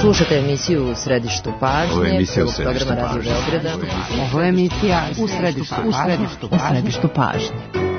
Slušate emisiju U središtu pažnje, prvog programa Radio Beograda. Ovo je emisija U središtu pažnje.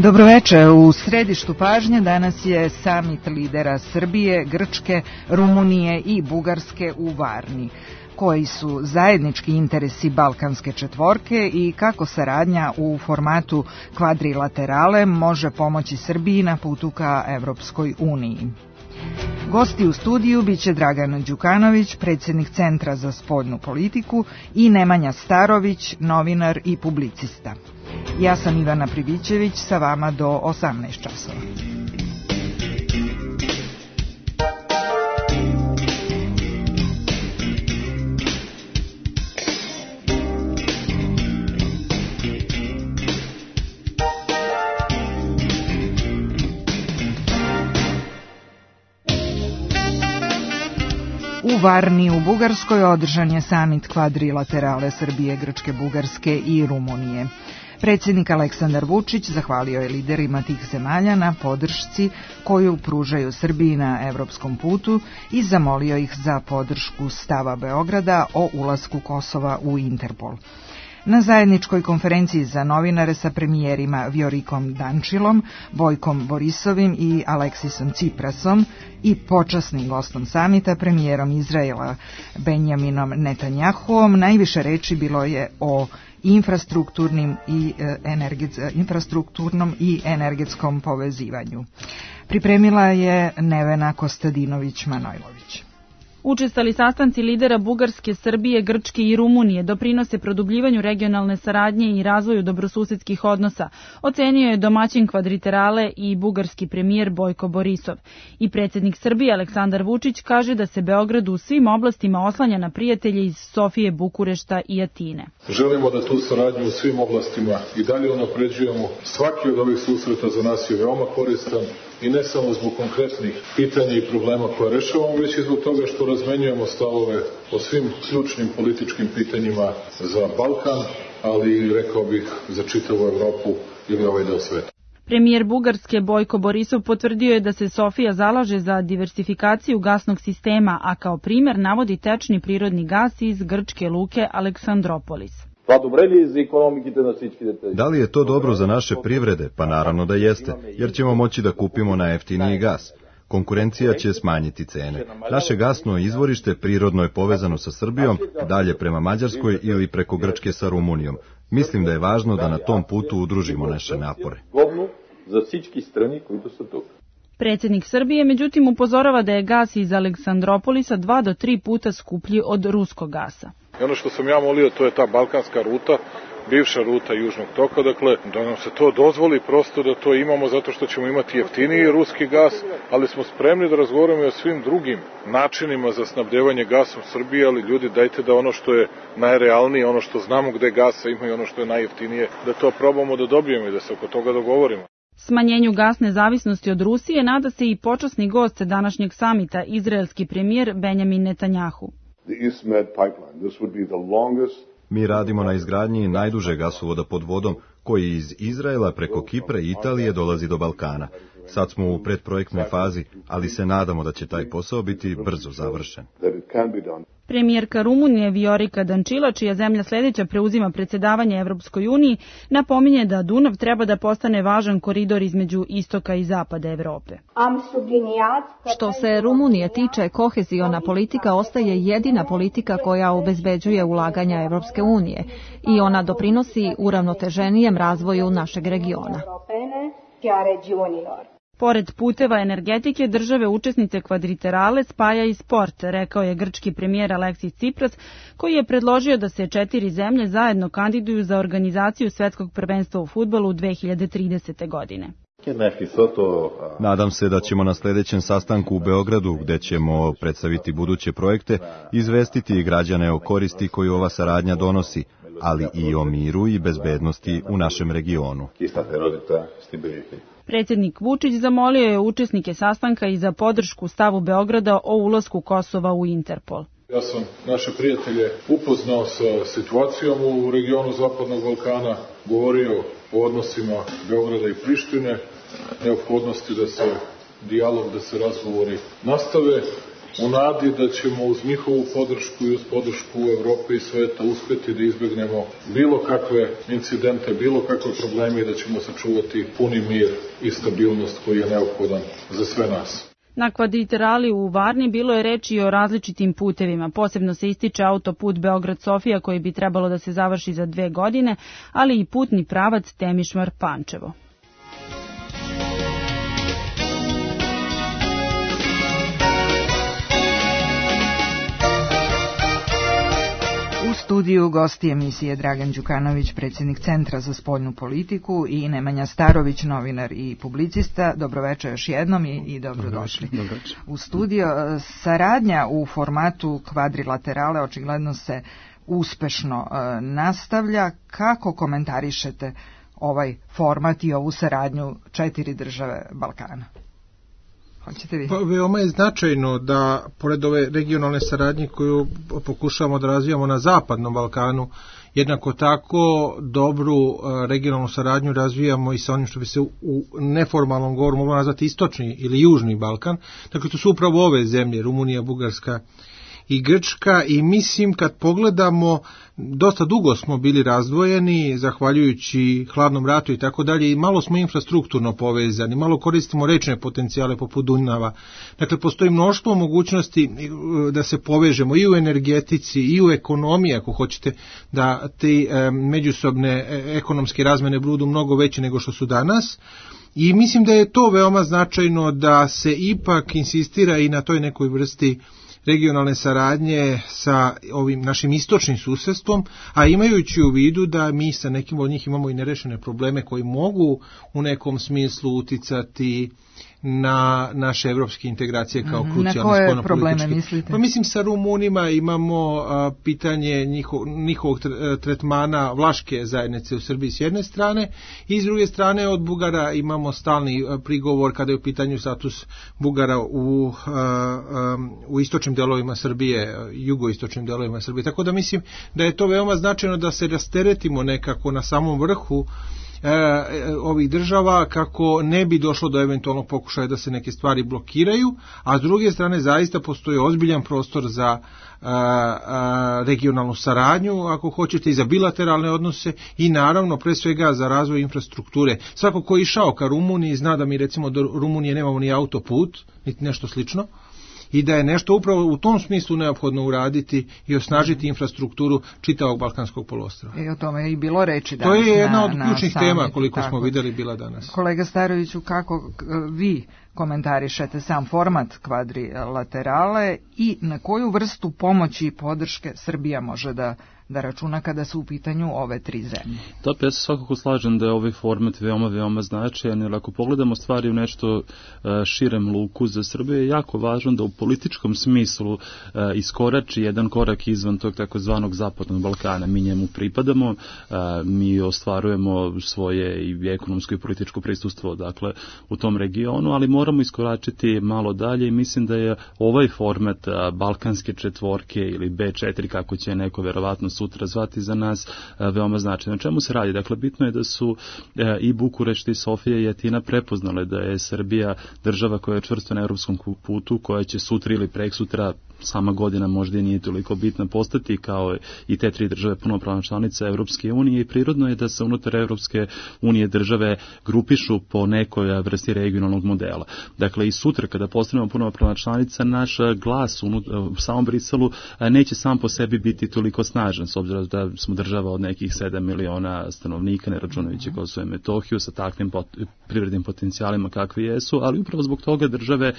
Dobroveče, u središtu pažnje danas je samit lidera Srbije, Grčke, Rumunije i Bugarske u Varni. Koji su zajednički interesi Balkanske četvorke i kako saradnja u formatu kvadrilaterale može pomoći Srbiji na putu ka Evropskoj uniji. Gosti u studiju biće Dragan Đukanović, predsjednik Centra za spoljnu politiku, i Nemanja Starović, novinar i publicista. Ja sam Ivana Pribićević, sa vama do 18 časova. U Varni u Bugarskoj održan je samit kvadrilaterale Srbije, Grčke, Bugarske i Rumunije. Predsjednik Aleksandar Vučić zahvalio je liderima tih zemalja na podršci koju pružaju Srbiji na evropskom putu i zamolio ih za podršku stava Beograda o ulasku Kosova u Interpol. Na zajedničkoj konferenciji za novinare sa premijerima Vjorikom Dančilom, Bojkom Borisovim i Aleksisom Ciprasom i počasnim gostom samita, premijerom Izraela Benjaminom Netanjahuom, najviše reči bilo je o infrastrukturnom i energetskom povezivanju. Pripremila je Nevena Kostadinović-Manojlović. Učestali sastanci lidera Bugarske, Srbije, Grčke i Rumunije doprinose produbljivanju regionalne saradnje i razvoju dobrosusedskih odnosa, ocenio je domaćin kvadrilaterale i bugarski premijer Bojko Borisov. I predsjednik Srbije Aleksandar Vučić kaže da se Beograd u svim oblastima oslanja na prijatelje iz Sofije, Bukurešta i Atine. Želimo da tu saradnju u svim oblastima i dalje unapređujemo. Svaki od ovih susreta za nas je veoma koristan. I ne samo zbog konkretnih pitanja i problema koje rešavamo, već i zbog toga što razmenjujemo stavove o svim ključnim političkim pitanjima za Balkan, ali rekao bih za čitavu Evropu ili ovaj deo sveta. Premijer Bugarske Bojko Borisov potvrdio je da se Sofija zalaže za diversifikaciju gasnog sistema, a kao primjer navodi tečni prirodni gas iz grčke luke Aleksandropolis. Da li je to dobro za naše privrede? Pa naravno da jeste, jer ćemo moći da kupimo na jeftiniji gas. Konkurencija će smanjiti cene. Naše gasno izvorište prirodno je povezano sa Srbijom, dalje prema Mađarskoj ili preko Grčke sa Rumunijom. Mislim da je važno da na tom putu udružimo naše napore. Predsjednik Srbije međutim upozorava da je gas iz Aleksandropolisa 2 do 3 puta skuplji od ruskog gasa. I ono što sam ja molio, to je ta balkanska ruta, bivša ruta Južnog toka, dakle, da nam se to dozvoli prosto da to imamo zato što ćemo imati jeftiniji ruski gas, ali smo spremni da razgovaramo i o svim drugim načinima za snabdevanje gasom Srbije, ali ljudi, dajte da ono što je najrealnije, ono što znamo gde gasa ima i ono što je najjeftinije, da to probamo da dobijemo i da se oko toga dogovorimo. Smanjenju gasne zavisnosti od Rusije nada se i počasni gost današnjeg samita, izraelski premijer Benjamin Netanjahu. Mi radimo na izgradnji najdužeg gasovoda pod vodom koji iz Izraela preko Kipra i Italije dolazi do Balkana. Sad smo u predprojektnoj fazi, ali se nadamo da će taj posao biti brzo završen. Premijerka Rumunije Vjorika Dančila, čija zemlja sljedeća preuzima predsjedavanje Evropskoj uniji, napominje da Dunav treba da postane važan koridor između istoka i zapada Evrope. Što se Rumunije tiče, koheziona politika ostaje jedina politika koja obezbeđuje ulaganja Evropske unije i ona doprinosi uravnoteženijem razvoju našeg regiona. Pored puteva energetike, države učesnice kvadriterale spaja i sport, rekao je grčki premijer Aleksis Tsipras, koji je predložio da se 4 zemlje zajedno kandiduju za organizaciju svetskog prvenstva u fudbalu 2030. godine. Nadam se da ćemo na sljedećem sastanku u Beogradu, gde ćemo predstaviti buduće projekte, izvestiti građane o koristi koju ova saradnja donosi, ali i o miru i bezbednosti u našem regionu. Predsjednik Vučić zamolio je učesnike sastanka i za podršku stavu Beograda o ulasku Kosova u Interpol. Ja sam naše prijatelje upoznao sa situacijom u regionu Zapadnog Balkana, govorio o odnosima Beograda i Prištine, neophodnosti da se dijalog, da se razgovori nastave, u nadi da ćemo uz njihovu podršku i uz podršku Evrope i sveta uspeti da izbegnemo bilo kakve incidente, bilo kakve probleme i da ćemo sačuvati puni mir i stabilnost koji je neophodan za sve nas. Na kvadriterali u Varni bilo je reči o različitim putevima. Posebno se ističe autoput Beograd-Sofija koji bi trebalo da se završi za 2 godine, ali i putni pravac Temišvar-Pančevo. U studiju gosti emisije Dragan Đukanović, predsjednik Centra za spoljnu politiku, i Nemanja Starović, novinar i publicista. Dobroveče još jednom i dobrodošli. U studio. Saradnja u formatu kvadrilaterale očigledno se uspešno nastavlja. Kako komentarišete ovaj format i ovu saradnju 4 države Balkana? Pa, veoma je značajno da, pored ove regionalne saradnje koju pokušavamo da razvijamo na Zapadnom Balkanu, jednako tako dobru regionalnu saradnju razvijamo i sa onim što bi se u neformalnom govoru moglo nazvati istočni ili južni Balkan. Dakle, to su upravo ove zemlje, Rumunija, Bugarska i Grčka, i mislim kad pogledamo, dosta dugo smo bili razdvojeni zahvaljujući hladnom ratu i tako dalje, i malo smo infrastrukturno povezani, malo koristimo rečne potencijale poput Dunava. Dakle, postoji mnoštvo mogućnosti da se povežemo i u energetici i u ekonomiji, ako hoćete da te međusobne ekonomske razmene budu mnogo veće nego što su danas. I mislim da je to veoma značajno da se ipak insistira i na toj nekoj vrsti regionalne saradnje sa ovim našim istočnim susedstvom, a imajući u vidu da mi sa nekim od njih imamo i nerešene probleme koji mogu u nekom smislu uticati na naše evropske integracije kao krucijalne spoljnopolitičke. Na koje probleme mislite? Pa mislim, sa Rumunima imamo pitanje njihovog tretmana vlaške zajednice u Srbiji s jedne strane, i s druge strane od Bugara imamo stalni prigovor kada je u pitanju status Bugara u istočnim delovima Srbije, jugoistočnim delovima Srbije. Tako da mislim da je to veoma značajno da se rasteretimo nekako na samom vrhu ovih država, kako ne bi došlo do eventualnog pokušaja da se neke stvari blokiraju, a s druge strane zaista postoji ozbiljan prostor za regionalnu saradnju, ako hoćete, i za bilateralne odnose, i naravno pre svega za razvoj infrastrukture. Svako ko je išao ka Rumuniji zna da mi recimo do Rumunije nemamo ni autoput, niti nešto slično, i da je nešto upravo u tom smislu neophodno uraditi i osnažiti infrastrukturu čitavog Balkanskog poluostrva. I o tome je i bilo reči danas. To je jedna od ključnih tema koliko smo vidjeli bila danas. Kolega Staroviću, kako vi komentarišete sam format kvadrilaterale i na koju vrstu pomoći i podrške Srbija može da računa kada su u pitanju ove 3 zemlje? Da, ja se svakako slažem da je ovaj format veoma značajan, jer ako pogledamo stvari u nešto širem luku, za Srbiju je jako važno da u političkom smislu iskorači jedan korak izvan tog takozvanog Zapadnog Balkana. Mi njemu pripadamo, mi ostvarujemo svoje i ekonomsko i političko prisustvo, dakle, u tom regionu, ali moramo iskoračiti malo dalje, i mislim da je ovaj format Balkanske četvorke ili B4, kako će neko verovatno sutra zvati, za nas veoma značajno. O čemu se radi? Dakle, bitno je da su i Bukurešt i Sofija i Atina prepoznale da je Srbija država koja je čvrsto na evropskom putu, koja će sutra ili preksutra sama godina možda i nije toliko bitna, postati kao i te 3 države punopravne članice Evropske unije i prirodno je da se unutar Evropske unije države grupišu po nekoj vrsti regionalnog modela. Dakle, i sutra kada postanemo punopravna članica, naš glas u samom Briselu neće sam po sebi biti toliko snažan, s obzirom da smo država od nekih 7 miliona stanovnika, ne računajući Kosovo i Metohiju, sa takvim privrednim potencijalima kakvi jesu, ali upravo zbog toga države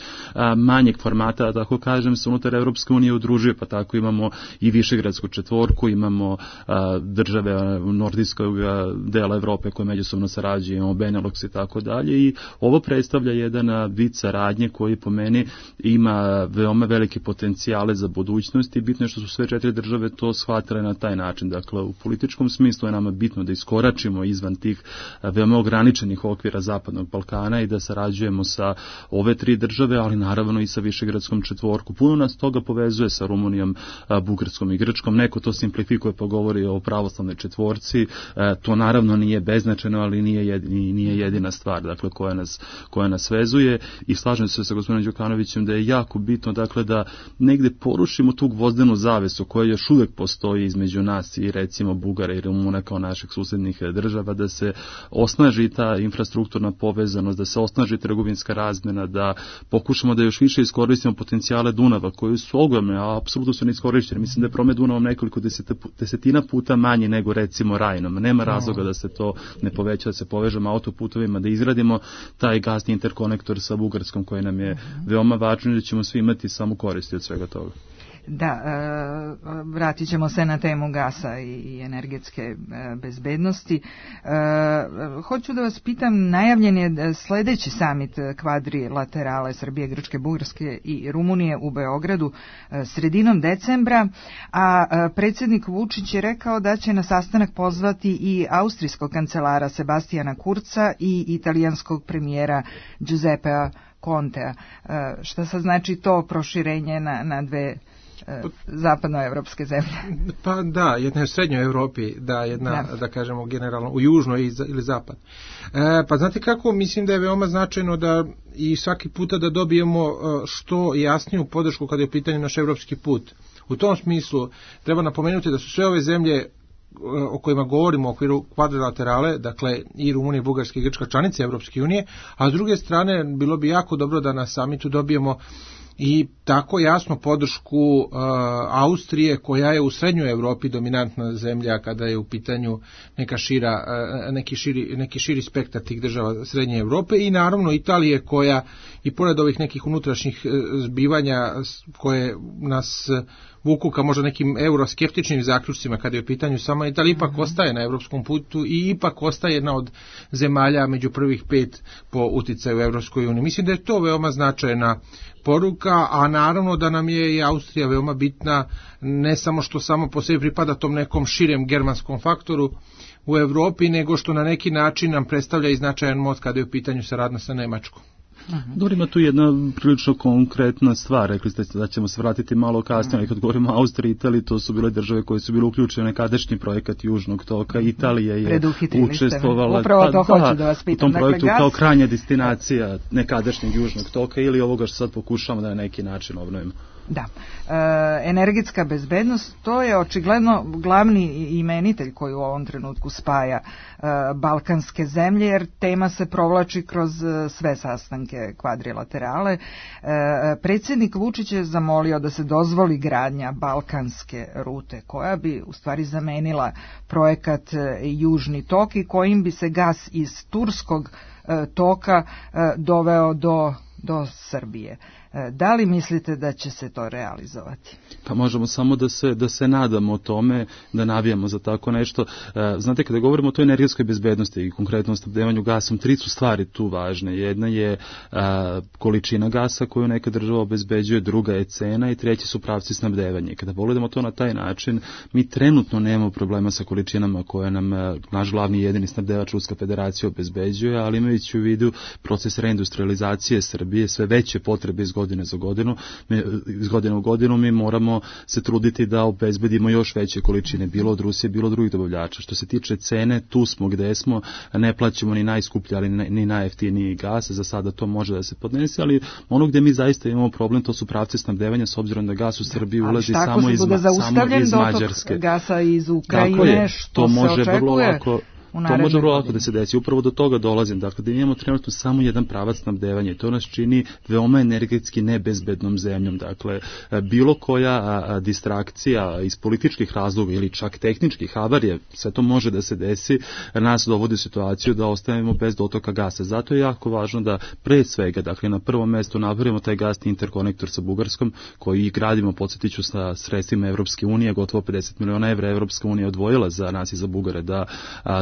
manjeg formata, tako kažem, se unutar Evropske unije udružuje, pa tako imamo i Višegradsku četvorku, imamo države nordijskog dela Evrope koje međusobno sarađuju, imamo Benelux i tako dalje, i ovo predstavlja jedan vid saradnje koji po meni ima veoma velike potencijale za budućnost i bitno je što su sve 4 države to shvatile na taj način. Dakle, u političkom smislu je nama bitno da iskoračimo izvan tih veoma ograničenih okvira Zapadnog Balkana i da sarađujemo sa ove 3 države, ali naravno i sa Višegradskom četvorku. Puno nas toga povezuje sa Rumunijom, Bugarskom i Grčkom. Neko to simplifikuje pa govori o pravoslavnoj četvorci. To naravno nije beznačajno, ali nije jedina stvar, dakle, koja nas vezuje, i slažem se sa gospodinom Đukanovićem da je jako bitno, dakle, da negde porušimo tu gvozdenu zavesu koja još uvek postoji između nas i recimo Bugara i Rumuna kao naših susednih država, da se osnaži ta infrastrukturna povezanost, da se osnaži trgovinska razmena, da pokušamo da još više iskoristimo potencijale Dunava koji su ogromne, a apsolutno su neiskorišćeni. Mislim da je promet Dunavom nekoliko desetina puta manji nego recimo Rajnom. Nema razloga da se to ne poveća, da se povežemo autoputovima, da izgradimo taj gasni interkonektor sa Bugarskom koji nam je veoma važan i da ćemo svi imati samo koristi od svega toga. Da, vratit ćemo se na temu gasa i energetske bezbednosti. Hoću da vas pitam, najavljen je sledeći samit kvadrilaterale Srbije, Grčke, Bugarske i Rumunije u Beogradu sredinom decembra, a predsjednik Vučić je rekao da će na sastanak pozvati i austrijskog kancelara Sebastijana Kurca i italijanskog premijera Giuseppea Contea. Šta sad znači to proširenje na 2 zapadnoevropske zemlje? Pa da, jedna je u srednjoj Evropi, da kažemo generalno u južnoj ili zapad. Pa znate kako, mislim da je veoma značajno da i svaki puta da dobijemo što jasniju podršku kada je u pitanju naš evropski put. U tom smislu treba napomenuti da su sve ove zemlje o kojima govorimo u okviru kvadrilaterale, dakle i Rumunija, Bugarska i Grčka članice Evropske unije, a s druge strane bilo bi jako dobro da na samitu dobijemo i tako jasno podršku Austrije, koja je u srednjoj Evropi dominantna zemlja kada je u pitanju neki širi spektar tih država srednje Evrope, i naravno Italije, koja i pored ovih nekih unutrašnjih zbivanja koje nas vuku ka možda nekim euroskeptičnim zaključcima kada je u pitanju sama Italija, ipak ostaje na evropskom putu i ipak ostaje jedna od zemalja među prvih 5 po uticaju u Evropskoj uniji. Mislim da je to veoma značajna poruka, a naravno da nam je i Austrija veoma bitna, ne samo što samo po sebi pripada tom nekom širem germanskom faktoru u Evropi, nego što na neki način nam predstavlja i značajan most kada je u pitanju saradnja sa Nemačkom. Dobro, ima tu jedna prilično konkretna stvar, rekli ste da ćemo se vratiti malo kasnije, ali kad govorimo o Austriji i Italiji, to su bile države koje su bile uključene u nekadašnji projekat Južnog toka. Italija je učestvovala upravo to hoću da vas pitam. U tom projektu kao krajnja destinacija nekadašnjeg Južnog toka ili ovoga što sad pokušamo da na neki način obnovimo. Da, energetska bezbednost, to je očigledno glavni imenitelj koji u ovom trenutku spaja balkanske zemlje, jer tema se provlači kroz sve sastanke kvadrilaterale. Predsjednik Vučić je zamolio da se dozvoli gradnja balkanske rute, koja bi u stvari zamenila projekat Južni tok i kojim bi se gas iz turskog toka doveo do Srbije. Da li mislite da će se to realizovati? Pa možemo samo da se nadamo o tome, da navijamo za tako nešto. Znate, kada govorimo o toj energetskoj bezbednosti i konkretno o snabdevanju gasom, 3 su stvari tu važne. Jedna je količina gasa koju neka država obezbeđuje, druga je cena i treći su pravci snabdevanja. Kada pogledamo to na taj način, mi trenutno nemamo problema sa količinama koje nam naš glavni i jedini snabdevač Ruska federacija obezbeđuje, ali imajući u vidu proces reindustrializacije Srbije, sve veće potrebe iz godine za godinu, iz godine u godinu mi moramo se truditi da obezbedimo još veće količine, bilo od Rusije, bilo od drugih dobavljača. Što se tiče cene, tu smo gde smo, ne plaćamo ni najskuplji, ali ni najjeftiniji gas, za sada to može da se podnese, ali ono gde mi zaista imamo problem, to su pravci snabdevanja, s obzirom da gas u Srbiji ulazi samo iz Mađarske. Gasa iz Ukrajine, što se očekuje. To može vrlo lako da se desi. Upravo do toga dolazim. Dakle, da imamo trenutno samo jedan pravac snabdevanja i to nas čini veoma energetski nebezbednom zemljom. Dakle, bilo koja distrakcija iz političkih razloga ili čak tehničkih havarije, sve to može da se desi, nas dovodi u situaciju da ostavimo bez dotoka gasa. Zato je jako važno da pre svega, dakle, na prvom mestu napravimo taj gasni interkonektor sa Bugarskom, koji gradimo, podsjetiću, sa sredstvima Evropske unije, gotovo 50 miliona evra Evropska unija odvojila za nas i za Bugare da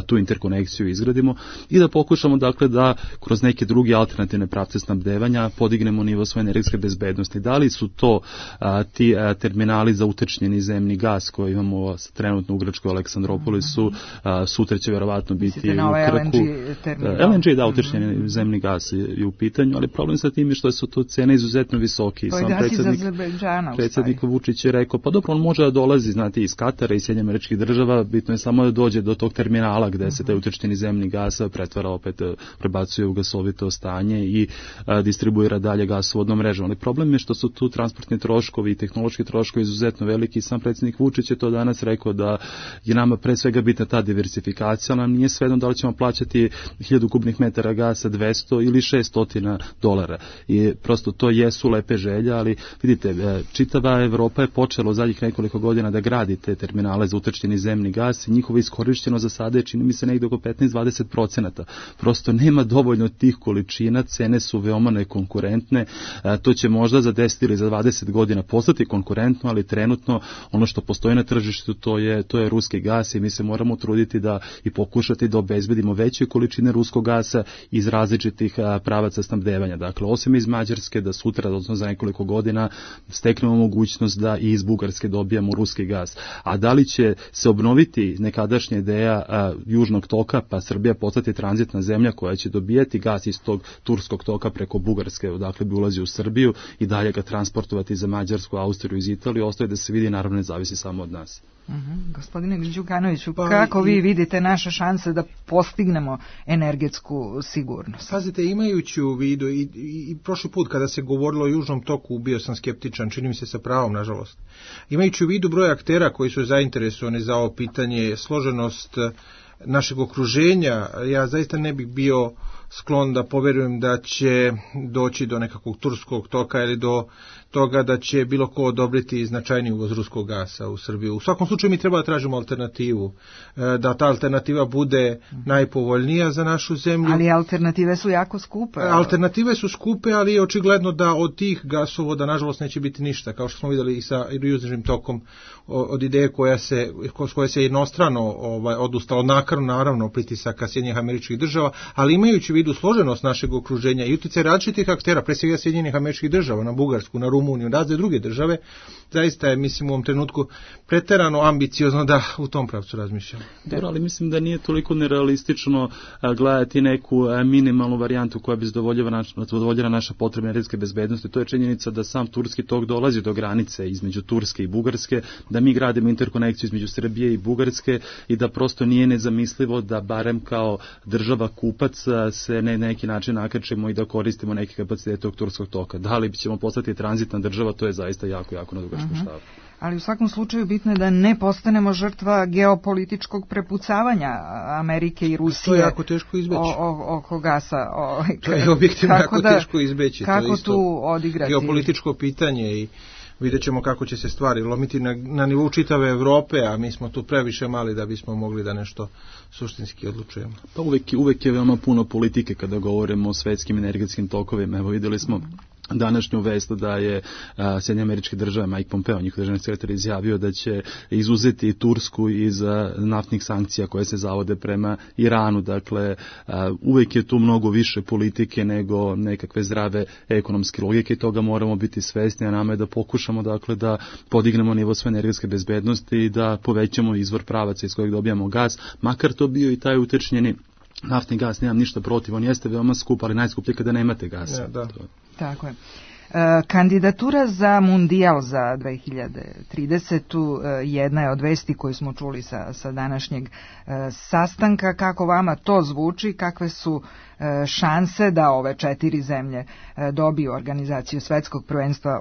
tu interkonekciju izgradimo i da pokušamo dakle da kroz neke druge alternativne pravce snabdevanja podignemo nivo svoje energetske bezbednosti. Da li su to ti terminali za utečnjeni zemni gas koji imamo trenutno u Grčkoj Aleksandropolisu, sutra će verovatno biti u Krku. LNG da, utečnjeni zemni gas je u pitanju, ali problem sa tim je što su to cene izuzetno visoki. Sam predsjednik Vučić je rekao, pa dobro, on može da dolazi, znate, iz Katara i Sjedinjenih Američkih Država, bitno je samo da dođe do tog terminala gde se taj utečnjeni zemni gas pretvara, opet prebacuje u gasovito stanje i distribuira dalje gasovodnom mrežom. Ali problem je što su tu transportni troškovi i tehnološki troškovi izuzetno veliki. Sam predsjednik Vučić je to danas rekao da je nama pre svega bitna ta diversifikacija, ali nije svejedno da li ćemo plaćati 1000 kubnih metara gasa 200 ili $600. I prosto to jesu lepe želje, ali vidite, čitava Evropa je počela u zadnjih nekoliko godina da gradi te terminale za utečnjeni zemni gas i njihovo iskorišćeno za sada je, čini mi se, negdje oko 15-20%. Prosto nema dovoljno tih količina, cene su veoma nekonkurentne, to će možda za 10 ili za 20 godina postati konkurentno, ali trenutno ono što postoji na tržištu to je ruski gas i mi se moramo truditi da i pokušati da obezbedimo veće količine ruskog gasa iz različitih pravaca snabdevanja. Dakle, osim iz Mađarske, da sutra, odnosno za nekoliko godina, steknemo mogućnost da i iz Bugarske dobijamo ruski gas. A da li će se obnoviti nekadašnja ideja južnog toka, pa Srbija postati tranzitna zemlja koja će dobijati gas iz tog turskog toka preko Bugarske, odakle bi ulazi u Srbiju i dalje ga transportovati za Mađarsku, Austriju, iz Italije, ostaje da se vidi, naravno ne zavisi samo od nas. Gospodine Đukanoviću, kako vi vidite naše šanse da postignemo energetsku sigurnost? Pazite, imajući u vidu i prošli put kada se govorilo o južnom toku bio sam skeptičan, čini mi se sa pravom, nažalost. Imajući u vidu broj aktera koji su zainteresovani za ovo pitanje, složenost našeg okruženja, ja zaista ne bih bio sklon da poverujem da će doći do nekakvog turskog toka ili do toga da će bilo ko odobriti značajni uvoz ruskog gasa u Srbiju. U svakom slučaju mi treba da tražimo alternativu, da ta alternativa bude najpovoljnija za našu zemlju. Ali alternative su jako skupe. Alternative su skupe, ali je očigledno da od tih gasovoda nažalost neće biti ništa, kao što smo vidjeli i sa južnim tokom, od ideje koje se jednostrano odustalo, naravno pritisaka Sjedinjenih Američkih Država, ali imajući u vidu složenost našeg okruženja i utjecaj različitih aktera, pre svega Sjedinjenih Američkih Država, na Bugarsku, na Rumuniju, razne druge države, zaista je, mislim, u ovom trenutku preterano ambiciozno da u tom pravcu razmišljamo. Dobro, ali mislim da nije toliko nerealistično gledati neku minimalnu varijantu koja bi zadovoljila naša potrebna energetske bezbednosti. To je činjenica da sam turski tok dolazi do granice između Turske i Bugarske, da mi gradimo interkonekciju između Srbije i Bugarske i da prosto nije nezamislivo da barem kao država kupac se na neki način nakačemo i da koristimo neke kapacitete tog turskog toka. Da li ćemo postati tranzitna država, to je zaista jako na dugačkom štapu. Ali u svakom slučaju bitno je da ne postanemo žrtva geopolitičkog prepucavanja Amerike i Rusije. To je jako teško izbeći. Oko gasa. To je objektivno jako teško izbeći. Kako tu odigrati? Geopolitičko pitanje i vidjet ćemo kako će se stvari lomiti na nivou čitave Evrope, a mi smo tu previše mali da bismo mogli da nešto suštinski odlučujemo. Pa uvek je veoma puno politike kada govorimo o svetskim energetskim tokovima. Evo vidjeli smo današnju vest da je Sjedinjene Američke Države, Mike Pompeo, njihov državni sekretar, izjavio da će izuzeti Tursku iz naftnih sankcija koje se zavode prema Iranu. Dakle, uvek je tu mnogo više politike nego nekakve zdrave ekonomske logike i toga moramo biti svesni, a nama je da pokušamo dakle da podignemo nivo svoje energetske bezbednosti i da povećamo izvor pravaca iz kojeg dobijamo gas, makar to bio i taj utečnjeni naftni gas, nemam ništa protiv, on jeste veoma skup, ali najskuplji kada nemate gasa. Ja, da. Tako je. Kandidatura za mundijal za 2030. Jedna je od vesti koju smo čuli sa današnjeg sastanka. Kako vama to zvuči? Kakve su šanse da ove 4 zemlje dobiju organizaciju svetskog prvenstva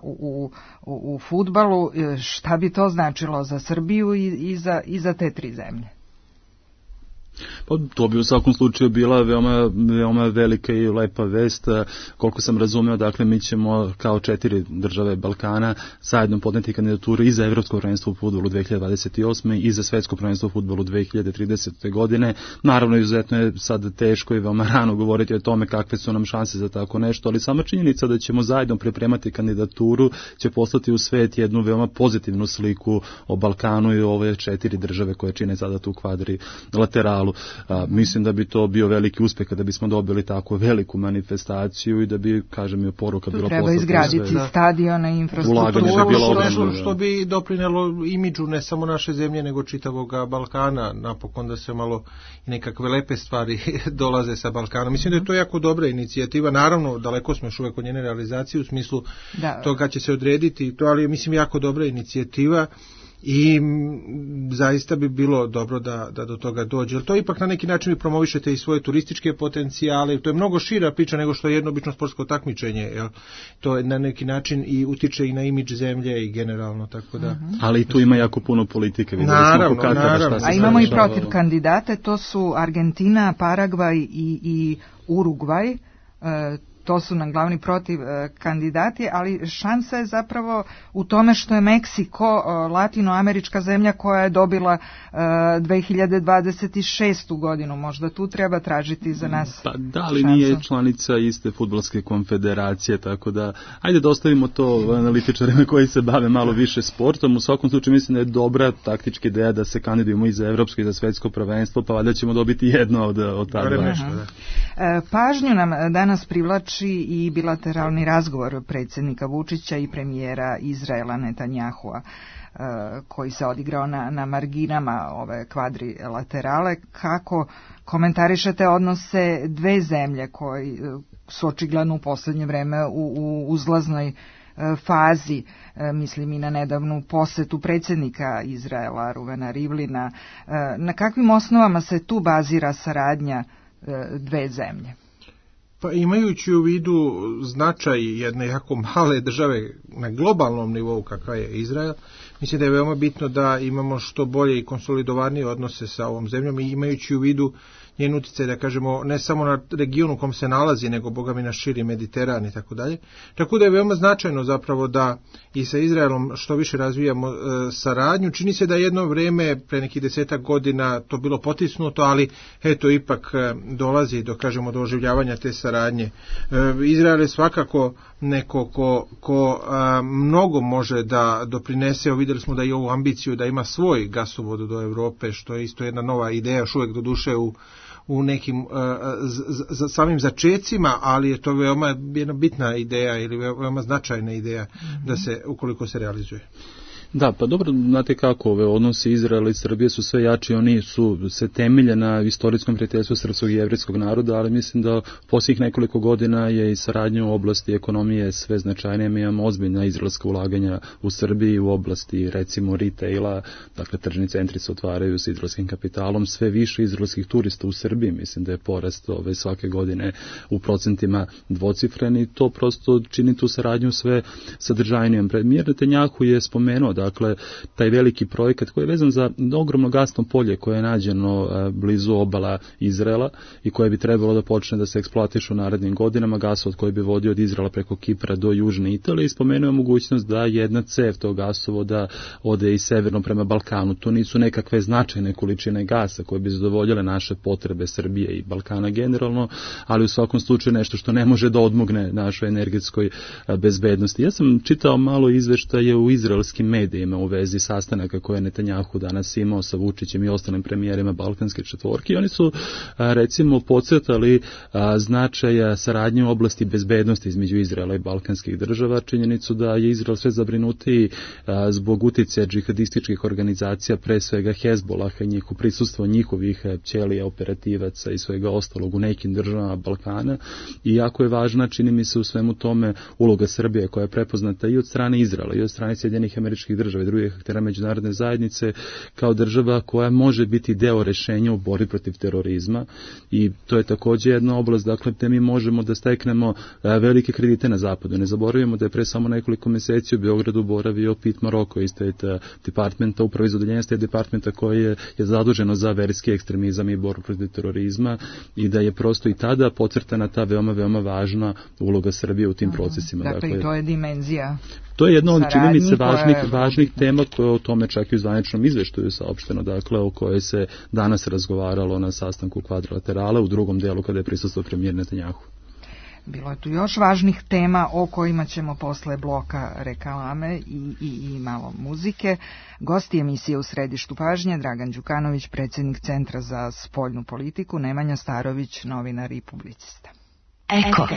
u fudbalu? Šta bi to značilo za Srbiju i za te 3 zemlje? Pa to bi u svakom slučaju bila veoma velika i lepa vest. Koliko sam razumeo, dakle, mi ćemo kao 4 države Balkana zajedno podneti kandidaturu i za Evropsko prvenstvo u fudbalu 2028. i za Svetsko prvenstvo u fudbalu 2030. godine. Naravno, izuzetno je sad teško i veoma rano govoriti o tome kakve su nam šanse za tako nešto, ali sama činjenica da ćemo zajedno pripremati kandidaturu će poslati u svet jednu veoma pozitivnu sliku o Balkanu i ove 4 države koje čine sada tu kvadrilateralu. Mislim da bi to bio veliki uspeh kada bismo dobili tako veliku manifestaciju i da bi, kažem, i poruka bila poslata. Treba izgraditi stadione i infrastrukturu. Što bi doprinelo imidžu ne samo naše zemlje, nego čitavog Balkana, napokon da se malo i nekakve lepe stvari dolaze sa Balkana. Mislim da je to jako dobra inicijativa. Naravno, daleko smo još uvek od njene realizacije u smislu toga će se odrediti to, ali mislim jako dobra inicijativa. I zaista bi bilo dobro da do toga dođe. Jer to ipak na neki način vi promovišete i svoje turističke potencijale. To je mnogo šira priča nego što je jedno obično sportsko takmičenje. Jel? To je na neki način i utiče i na imidž zemlje i generalno. Tako da. Ali tu ima jako puno politike. Naravno. A imamo i protiv kandidate. To su Argentina, Paragvaj i Urugvaj. To su nam glavni protiv kandidati, ali šansa je zapravo u tome što je Meksiko latinoamerička zemlja koja je dobila 2026. godinu. Možda tu treba tražiti za nas Pa da, ali nije članica iste fudbalske konfederacije, tako da ajde da ostavimo to analitičarima koji se bave malo više sportom. U svakom slučaju mislim da je dobra taktička ideja da se kandidujemo i za evropsko i za svetsko prvenstvo, pa valjda ćemo dobiti jedno od ta dva. Pažnju nam danas privlači i bilateralni razgovor predsjednika Vučića i premijera Izraela Netanjahua koji se odigrao na marginama ove kvadrilaterale. Kako komentarišete odnose 2 zemlje koji su očigledno u posljednje vreme u uzlaznoj fazi, mislim i na nedavnu posetu predsjednika Izraela Ruvena Rivlina. Na kakvim osnovama se tu bazira saradnja 2 zemlje? Pa imajući u vidu značaj jedne jako male države na globalnom nivou kakva je Izrael, mislim da je veoma bitno da imamo što bolje i konsolidovanije odnose sa ovom zemljom i imajući u vidu njen uticaj, da kažemo, ne samo na regionu u kom se nalazi, nego boga mi na širi Mediteran i tako dalje. Tako da je veoma značajno zapravo da i sa Izraelom što više razvijamo saradnju. Čini se da jedno vreme, pre nekih 10 godina, to bilo potisnuto, ali eto, ipak dolazi do, kažemo, do oživljavanja te saradnje. Izrael je svakako neko ko mnogo može da doprinese. Vidjeli smo da i ovu ambiciju da ima svoj gasovod do Evrope, što je isto jedna nova ideja, još uvijek do duše u nekim samim začecima, ali je to veoma jedna bitna ideja ili veoma značajna ideja da se, ukoliko se realizuje. Da, pa dobro, znate kako, ove odnosi Izraela i Srbije su sve jači, oni su se temelje na istorijskom prijateljstvu srpskog i jevrijskog naroda, ali mislim da posljednjih nekoliko godina je i saradnja u oblasti ekonomije sve značajnije. Mi imamo ozbiljna izraelska ulaganja u Srbiji u oblasti, recimo, retaila, dakle tržni centri se otvaraju s izraelskim kapitalom, sve više izraelskih turista u Srbiji, mislim da je porast svake godine u procentima dvocifren i to prosto čini tu saradnju sve sadržajnijom. Premijer Netanjahu je spomenuo, dakle, taj veliki projekat koji je vezan za ogromno gasno polje koje je nađeno blizu obala Izraela i koje bi trebalo da počne da se eksploatiše u narednim godinama, gasovod koji bi vodio od Izraela preko Kipra do Južne Italije i spomenuo mogućnost da jedna cev tog gasovoda ode i severno prema Balkanu. To nisu nekakve značajne količine gasa koje bi zadovoljile naše potrebe Srbije i Balkana generalno, ali u svakom slučaju nešto što ne može da odmogne našoj energetskoj bezbednosti. Ja sam čitao malo izveštaje u izraelskim medijima medijima u vezi sastanaka koje je Netanjahu danas imao sa Vučićem i ostalim premijerima Balkanske četvorke. Oni su recimo podcrtali značaja saradnje u oblasti bezbednosti između Izraela i balkanskih država, činjenicu da je Izrael sve zabrinutiji zbog uticaja džihadističkih organizacija, pre svega Hezbolaha i njihovo prisustvo njihovih ćelija, operativaca i svega ostalog u nekim državama Balkana. I jako je važna, čini mi se, u svemu tome uloga Srbije koja je prepoznata i od strane Izraela i od strane Sjedinjenih Američkih Država i drugih aktera međunarodne zajednice kao država koja može biti deo rešenja u borbi protiv terorizma. I to je takođe jedna oblast, dakle, gde mi možemo da steknemo velike kredite na zapadu. Ne zaboravimo da je pre samo nekoliko meseci u Beogradu boravio Pete Maroko iz State Departmenta, upravo iz odeljenja State Departmenta koji je zaduženo za verski ekstremizam i borbu protiv terorizma, i da je prosto i tada podcrtana ta veoma važna uloga Srbije u tim procesima. Dakle, i to je dimenzija. To je jedna od, čini mi se, važnih tema koje o tome čak i u zvaničnom izveštaju saopšteno, dakle, o kojoj se danas razgovaralo na sastanku kvadrilaterala u drugom delu kada je prisustvovao premijer Netanjahu. Bilo je tu još važnih tema o kojima ćemo posle bloka reklame i malo muzike. Gosti emisije U središtu pažnje, Dragan Đukanović, predsjednik Centra za spoljnu politiku, Nemanja Starović, novinar i publicista. Eko.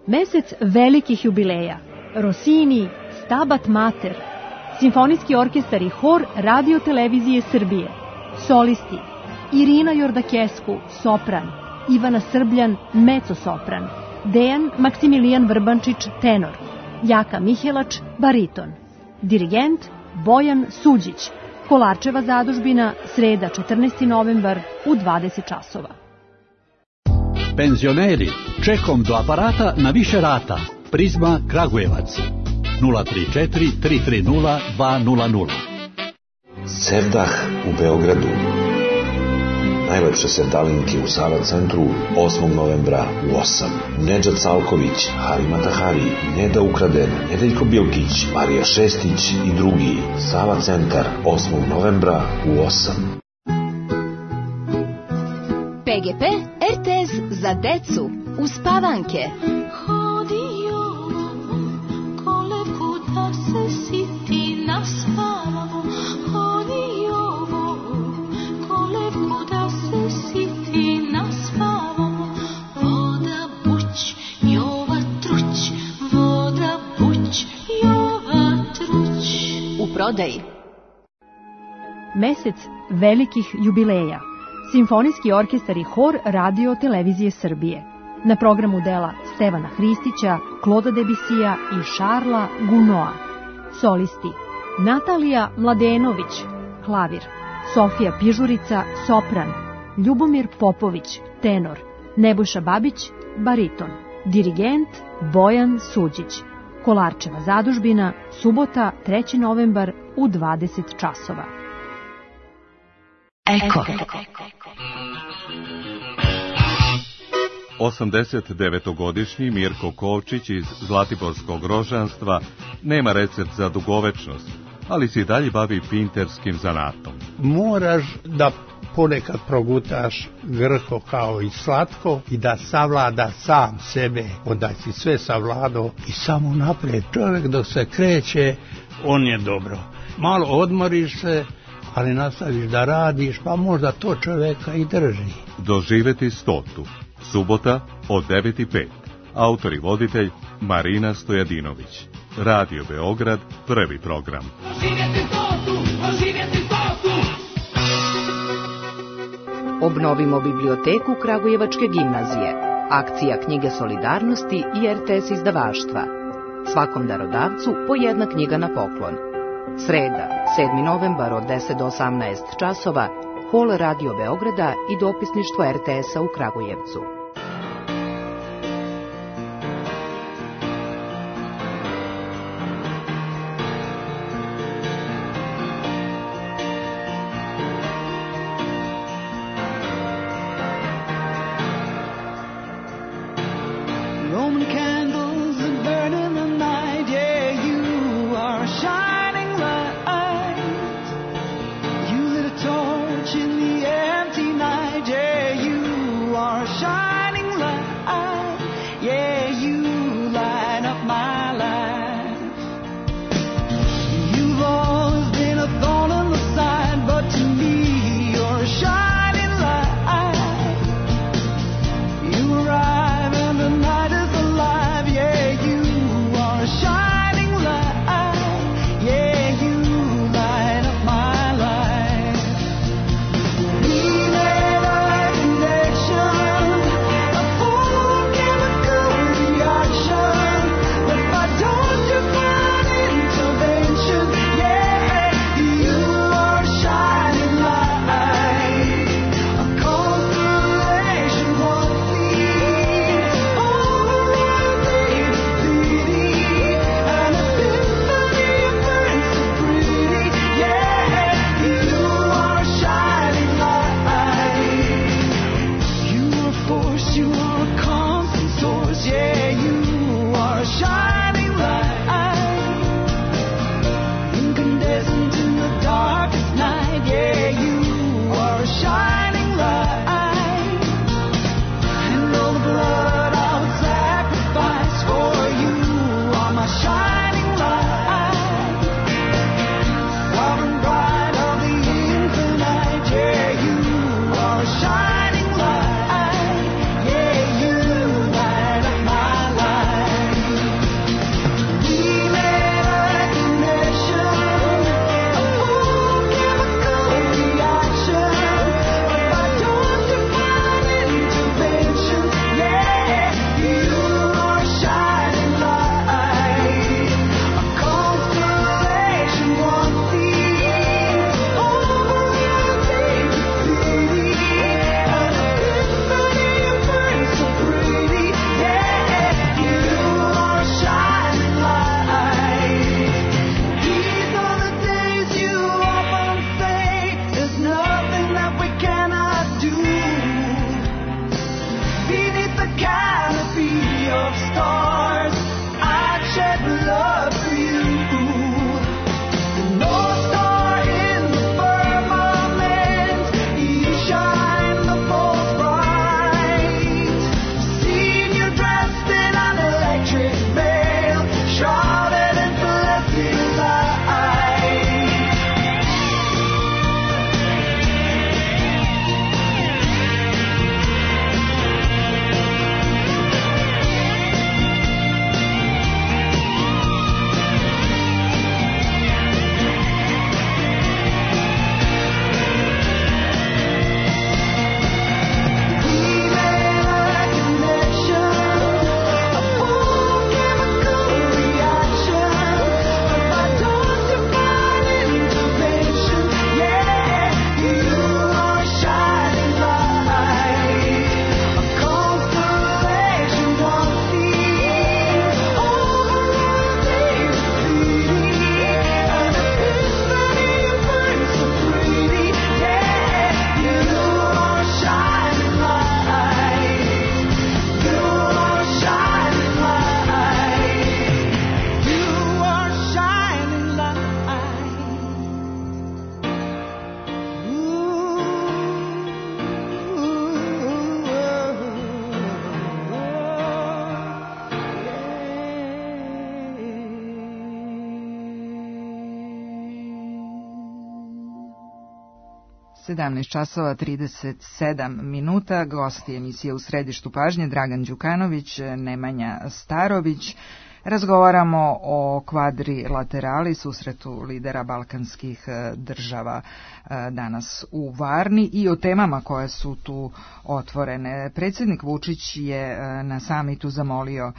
Mesec velikih jubileja. Rossini, Stabat Mater, Simfonijski orkestar i hor Radio Televizije Srbije, solisti Irina Jordakesku, sopran, Ivana Srbljan, mezzo-sopran, Dejan Maksimilijan Vrbančić, tenor, Jaka Mihelač, bariton, dirigent Bojan Suđić, Kolarčeva zadužbina, sreda 14. novembar u 20 časova. Penzioneri, čekom do aparata na više rata. Prizma Kragujevac 034 330 200. Sevdah u Beogradu. Najlepše sevdalinke u Sava centru 8. novembra u 8. Nedžad Salković, Harima Tahari, Neda Ukraden, Nedeljko Bilkić, Marija Šestić i drugi. Sava centar 8. novembra u 8. PGP RTS za decu uspavanke. Prodaji. Mesec velikih jubileja. Simfonijski orkestar i hor Radio Televizije Srbije. Na programu dela Stevana Hristića, Kloda Debisija i Šarla Gunoa. Solisti Natalija Mladenović, klavir, Sofija Pižurica, sopran, Ljubomir Popović, tenor, Nebojša Babić, bariton, dirigent Bojan Suđić. Kolarčeva zadužbina, subota 3. novembar u 20 časova. Eko. 89-godišnji Mirko Kovčić iz Zlatiborskog rožanstva nema recept za dugovečnost, ali se i dalje bavi pinterskim zanatom. Moraš da ponekad progutaš grko kao i slatko i da savlada sam sebe, onda si sve savladao i samo naprijed. Čovjek dok se kreće, on je dobro. Malo odmoriš se, ali nastaviš da radiš, pa možda to čovjeka i drži. Doživeti 100. Subota od 9:05. Autor i voditelj Marina Stojadinović. Radio Beograd, prvi program. Obnovimo biblioteku Kragujevačke gimnazije. Akcija Knjige solidarnosti i RTS izdavaštva. Svakom darodavcu po jedna knjiga na poklon. Sreda, 7. novembar od 10 do 18 časova, hol Radio Beograda i dopisništvo RTS-a u Kragujevcu. Shine. canopy of stars. I'd shed blood for you. The North Star in the firmament, you shine the most bright. Seen you dressed in an electric veil, shrouded in celestial light. časova 37 minuta, gosti emisije U središtu pažnje Dragan Đukanović, Nemanja Starović. Razgovaramo o kvadrilaterali, susretu lidera balkanskih država danas u Varni i o temama koje su tu otvorene. Predsjednik Vučić je na samitu zamolio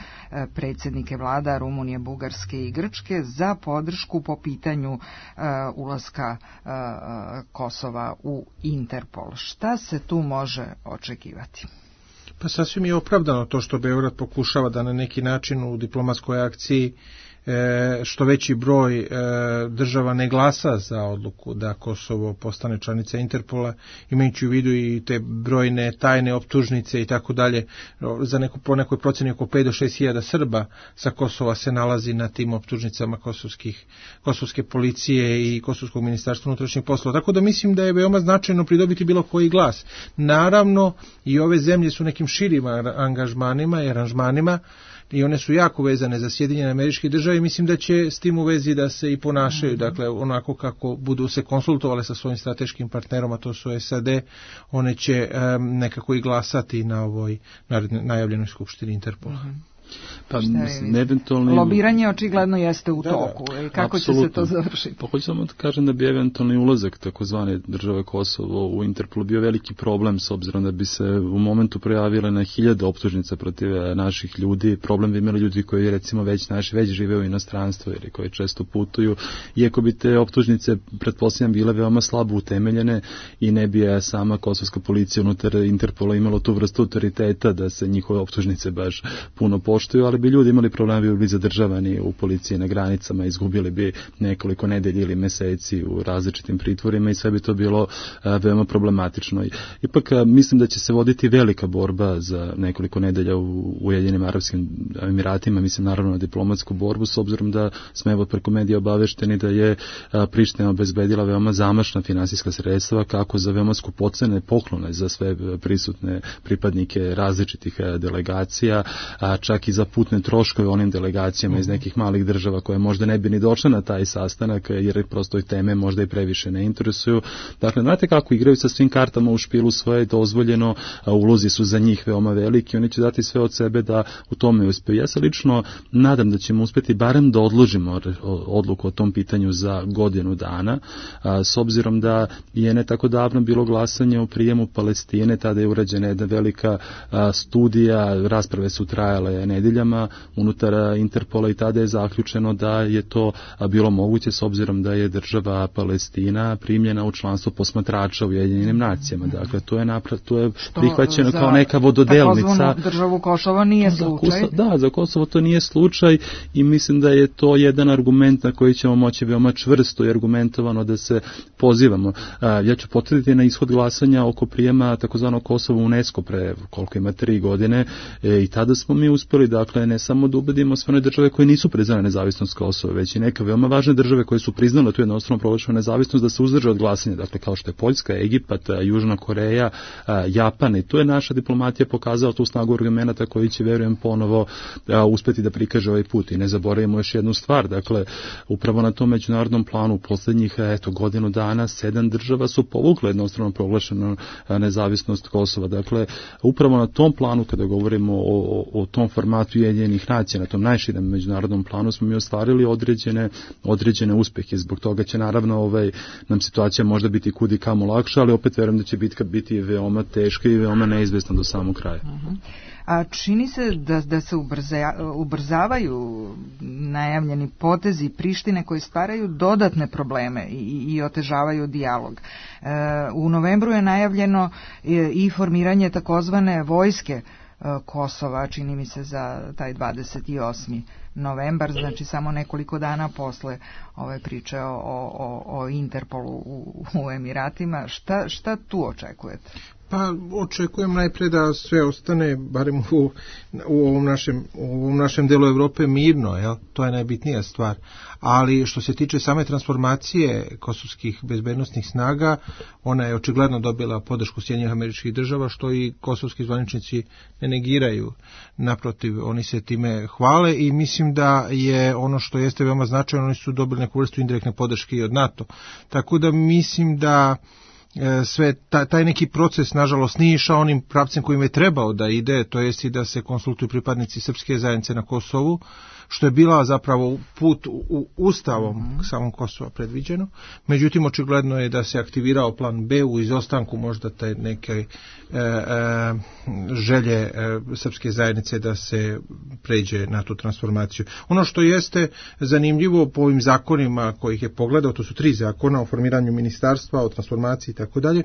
predsjednike vlada Rumunije, Bugarske i Grčke za podršku po pitanju ulaska Kosova u Interpol. Šta se tu može očekivati? Pa sasvim je opravdano to što Beograd pokušava da na neki način u diplomatskoj akciji što veći broj država ne glasa za odluku da Kosovo postane članica Interpola, imajući u vidu i te brojne tajne optužnice i tako dalje. Po nekoj proceni oko 5 do 6 hiljada Srba sa Kosova se nalazi na tim optužnicama kosovske policije i Kosovskog ministarstva unutrašnjih poslova. Tako da mislim da je veoma značajno pridobiti bilo koji glas. Naravno, i ove zemlje su nekim širim angažmanima i aranžmanima, i one su jako vezane za Sjedinjene Američke Države i mislim da će s tim u vezi da se i ponašaju, dakle onako kako budu se konsultovale sa svojim strateškim partnerom, a to su SAD, one će nekako i glasati na ovoj najavljenoj skupštini Interpola. Pa, eventualni... Lobiranje očigledno jeste u toku. Kako apsolutno. Će se to završiti? Pa hoću samo da kažem da bi eventualni ulazak takozvane države Kosovo u Interpol bio veliki problem, s obzirom da bi se u momentu projavile na 1000 optužnica protiv naših ljudi. Problem bi imali ljudi koji recimo već žive u inostranstvu ili koji često putuju. Iako bi te optužnice, pretpostavljam, bile veoma slabo utemeljene i ne bi sama kosovska policija unutar Interpola imalo tu vrstu autoriteta da se njihove optužnice baš puno poštuju, ali bi ljudi imali problema, bi bili zadržavani u policiji na granicama, izgubili bi nekoliko nedelji ili meseci u različitim pritvorima i sve bi to bilo veoma problematično. Ipak mislim da će se voditi velika borba za nekoliko nedelja u Ujedinjenim Arapskim Emiratima, mislim naravno na diplomatsku borbu, s obzirom da smo evo preko medija obavešteni da je Priština obezbedila veoma zamašna finansijska sredstva kako za veoma skupocene poklone za sve prisutne pripadnike različitih delegacija, čak i za putne troškove onim delegacijama iz nekih malih država koje možda ne bi ni došle na taj sastanak jer prosto i teme možda i previše ne interesuju. Dakle, znate kako igraju sa svim kartama u špilu, svoje dozvoljeno, ulozi su za njih veoma veliki, oni će dati sve od sebe da u tome uspeju. Ja se lično nadam da ćemo uspeti barem da odložimo odluku o tom pitanju za godinu dana, s obzirom da je ne tako davno bilo glasanje o prijemu Palestine, tada je urađena jedna velika studija, rasprave su trajale nedeljama unutar Interpola i tada je zaključeno da je to bilo moguće s obzirom da je država Palestina primljena u članstvo posmatrača u Ujedinjenim nacijama. Dakle, to je prihvaćeno kao neka vododelnica. Državu Kosovo nije slučaj. Za Kosovo to nije slučaj i mislim da je to jedan argument na koji ćemo moći veoma čvrsto i argumentovano da se pozivamo. Ja ću potvrditi na ishod glasanja oko prijema takozvanog Kosova u UNESCO pre koliko ima 3 godine i tada smo mi uspeli, dakle, ne samo da ubedimo sve one države koje nisu priznale nezavisnost Kosova, već i neke veoma važne države koje su priznale tu jednostrano proglašenu nezavisnost da se uzdrže od glasanja, dakle, kao što je Poljska, Egipat, Južna Koreja, Japan, i tu je naša diplomatija pokazala tu snagu argumenata koji će, verujem, ponovo uspeti da prikaže ovaj put. I ne zaboravimo još jednu stvar, dakle, upravo na tom međunarodnom planu u poslednjih godinu dana 7 država su povukle jednostrano proglašenu nezavisnost Kosova. Dakle, upravo na tom planu, kada govorimo o tom formatu Ujedinjenih nacija, na tom najširem međunarodnom planu smo mi ostvarili određene uspehe. Zbog toga će naravno nam situacija možda biti kud i kamo lakša, ali opet verujem da će bitka biti veoma teška i veoma neizvesna do samog kraja. A čini se da se ubrzavaju najavljeni potezi Prištine koji stvaraju dodatne probleme i otežavaju dijalog. U novembru je najavljeno i formiranje takozvane vojske Kosova, čini mi se za taj 28. novembar, znači samo nekoliko dana posle ove priče o Interpolu u Emiratima. Šta tu očekujete? Pa očekujem najprej da sve ostane, barem u ovom našem delu Evrope, mirno, jel? To je najbitnija stvar. Ali što se tiče same transformacije kosovskih bezbednosnih snaga, ona je očigledno dobila podršku Sjedinjenih Američkih Država, što i kosovski zvaničnici ne negiraju. Naprotiv, oni se time hvale i mislim da je ono što jeste veoma značajno, oni su dobili neku vrstu indirektne podrške i od NATO. Tako da mislim da sve taj neki proces nažalost nije išao onim pravcem kojim je trebao da ide, to jest i da se konsultuju pripadnici srpske zajednice na Kosovu, što je bila zapravo put u ustavom samom Kosova predviđeno. Međutim, očigledno je da se aktivirao plan B u izostanku možda te neke želje srpske zajednice da se pređe na tu transformaciju. Ono što jeste zanimljivo po ovim zakonima kojih je pogledao, to su 3 zakona o formiranju ministarstva, o transformaciji i tako dalje,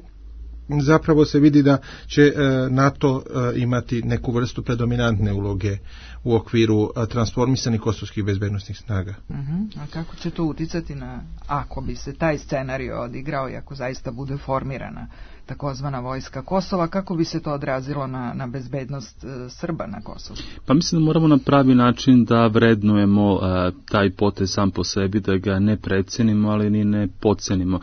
zapravo se vidi da će NATO imati neku vrstu predominantne uloge u okviru transformisanih kosovskih bezbednosnih snaga. A kako će to uticati ako bi se taj scenario odigrao i ako zaista bude formirana takozvana vojska Kosova, kako bi se to odrazilo na bezbednost Srba na Kosovu? Pa mislim da moramo na pravi način da vrednujemo taj potez sam po sebi, da ga ne precenimo, ali ni ne podcenimo.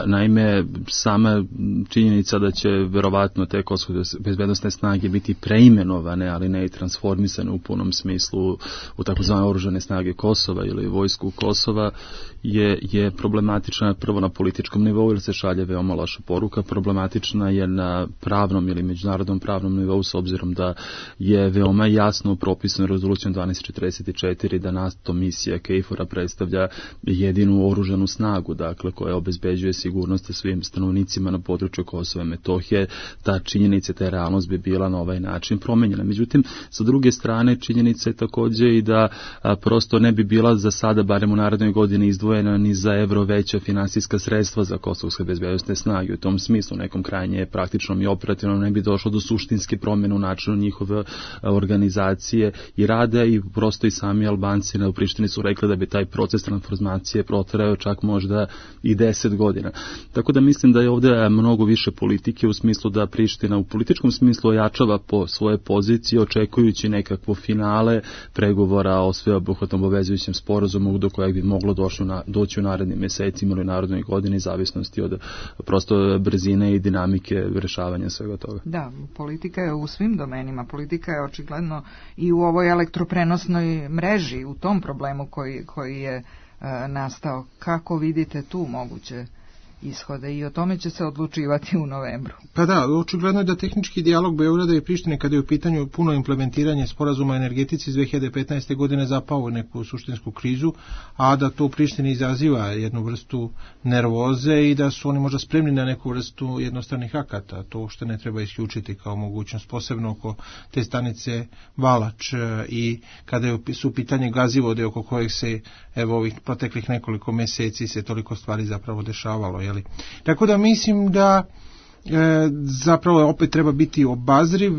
Naime, sama činjenica da će verovatno te kosovske bezbednosne snage biti preimenovane, ali ne i transformisane u punom smislu u takozvane oružane snage Kosova ili vojsku Kosova je problematična prvo na političkom nivou, jer se šalje veoma loša poruka. Problematična je na pravnom ili međunarodnom pravnom nivou, s obzirom da je veoma jasno propisano rezolucijom 1244 da NATO misija KFOR-a predstavlja jedinu oružanu snagu, dakle, koja obezbeđuje sigurnost svim stanovnicima na području Kosova i Metohije. Ta činjenica, ta realnost bi bila na ovaj način promenjena. Međutim, sa druge strane, činjenica je također i da prosto ne bi bila za sada, barem u narednoj godini, izdvojena ni za evro veća finansijska sredstva za kosovske bezbednosne snage. U tom smislu, nekom krajnje praktičnom i operativnom, ne bi došlo do suštinske promjene u načinu njihove organizacije i rada, i prosto i sami Albanci u Prištini su rekli da bi taj proces transformacije protrajao čak možda i 10 godina. Tako da mislim da je ovdje mnogo više politike, u smislu da Priština u političkom smislu ojačava po svoje pozicije, očekujući nekakvo finale pregovora o sveobuhvatnom obavezujućem sporazumu do kojeg bi moglo doći u narednim mjesecima ili narednoj godini, zavisnosti od prosto brzine i dinamike rješavanja svega toga. Da, politika je u svim domenima. Politika je očigledno i u ovoj elektroprenosnoj mreži, u tom problemu koji je nastao. Kako vidite tu moguće ishode i o tome će se odlučivati u novembru. Pa da, očigledno je da tehnički dijalog Beograda i Prištine kada je u pitanju puno implementiranje sporazuma o energetici iz 2015. godine zapao u neku suštinsku krizu, a da to u Prištini izaziva jednu vrstu nervoze i da su oni možda spremni na neku vrstu jednostranih akata. To što ne treba isključiti kao mogućnost, posebno oko te stanice Valač i kada su u pitanje gazivode oko kojeg se evo ovih proteklih nekoliko meseci se toliko stvari zapravo dešavalo. Jeli? Tako da mislim da zapravo opet treba biti obazriv.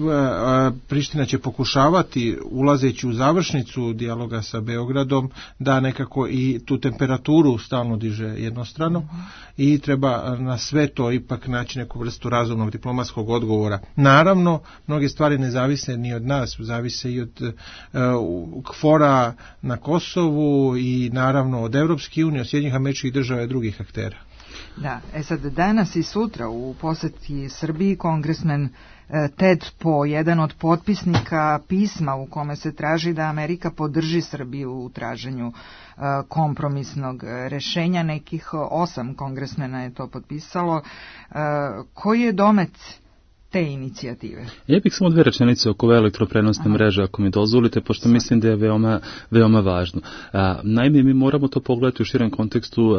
Priština će pokušavati, ulazeći u završnicu dijaloga sa Beogradom, da nekako i tu temperaturu stalno diže jednostrano i treba na sve to ipak naći neku vrstu razumnog diplomatskog odgovora. Naravno, mnoge stvari ne zavise ni od nas, zavise i od KFOR-a na Kosovu i naravno od Evropske unije, od Sjedinjenih Američkih Država i drugih aktera. Da, sad danas i sutra u poseti Srbiji kongresmen Ted Po, jedan od potpisnika pisma u kome se traži da Amerika podrži Srbiju u traženju kompromisnog rešenja, nekih 8 kongresmena je to potpisalo. Koji je domet te inicijative? Ja bih samo 2 rečenice oko ove elektroprenosne mreže, ako mi dozvolite, pošto mislim da je veoma važno. Naime, mi moramo to pogledati u širem kontekstu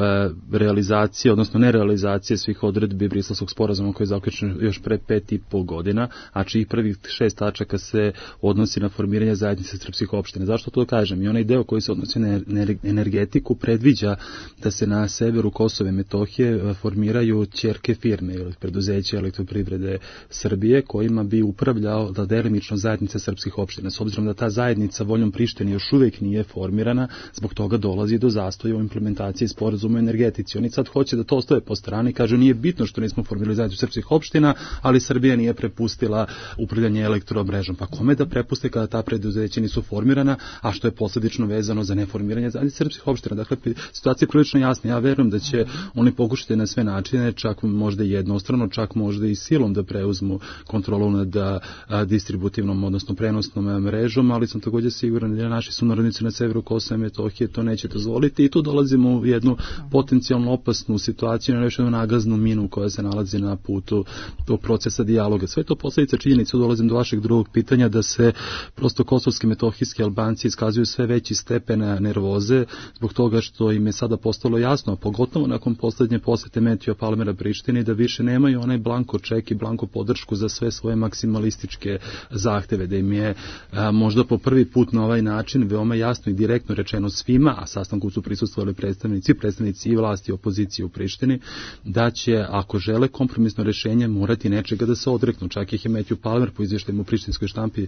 realizacije, odnosno nerealizacije svih odredbi Briselskog sporazuma koji je zaključen još pre 5,5 godina, a čijih prvih 6 tačaka se odnosi na formiranje zajednice srpskih opština. Zašto to kažem? I onaj deo koji se odnosi na energetiku predviđa da se na severu Kosova i Metohije formiraju ćerke firme ili preduzeće elektroprivrede Srbije kojima bi upravljao da delimično zajednica srpskih opština. S obzirom da ta zajednica voljom Prištine još uvijek nije formirana, zbog toga dolazi do zastoja u implementaciji sporazuma o energetici. Oni sad hoće da to ostave po strani, kažu nije bitno što nismo formirali zajednicu srpskih opština, ali Srbija nije prepustila upravljanje elektromrežom. Pa kome da prepuste kada ta preduzeća nisu formirana, a što je posljedično vezano za neformiranje zajednice srpskih opština? Dakle, situacija je prilično jasna. Ja verujem da će oni pokušati na sve načine, čak možda jednostrano, čak možda i silom da preuzmu kontrolu nad distributivnom, odnosno prenosnom mrežom, ali sam također siguran da naši sunarodnici na severu Kosova i Metohije to neće dozvoliti i tu dolazimo u jednu potencijalno opasnu situaciju, na jednu nagaznu minu koja se nalazi na putu tog procesa dijaloga. Sve to posljedica činjenica, dolazim do vašeg drugog pitanja, da se prosto kosovski, metohijski Albanci iskazuju sve veći stepen nervoze zbog toga što im je sada postalo jasno, a pogotovo nakon posljednje posete Metija Palmera Prištini, da više nemaju onaj blanko ček i blanko podršku za sve svoje maksimalističke zahteve, da im je možda po prvi put na ovaj način veoma jasno i direktno rečeno svima, a sastanku su prisustvovali predstavnici i vlasti i opozicije u Prištini, da će, ako žele kompromisno rješenje, morati nečega da se odreknu. Čak ih je Matthew Palmer po izvještaju u prištinskoj štampi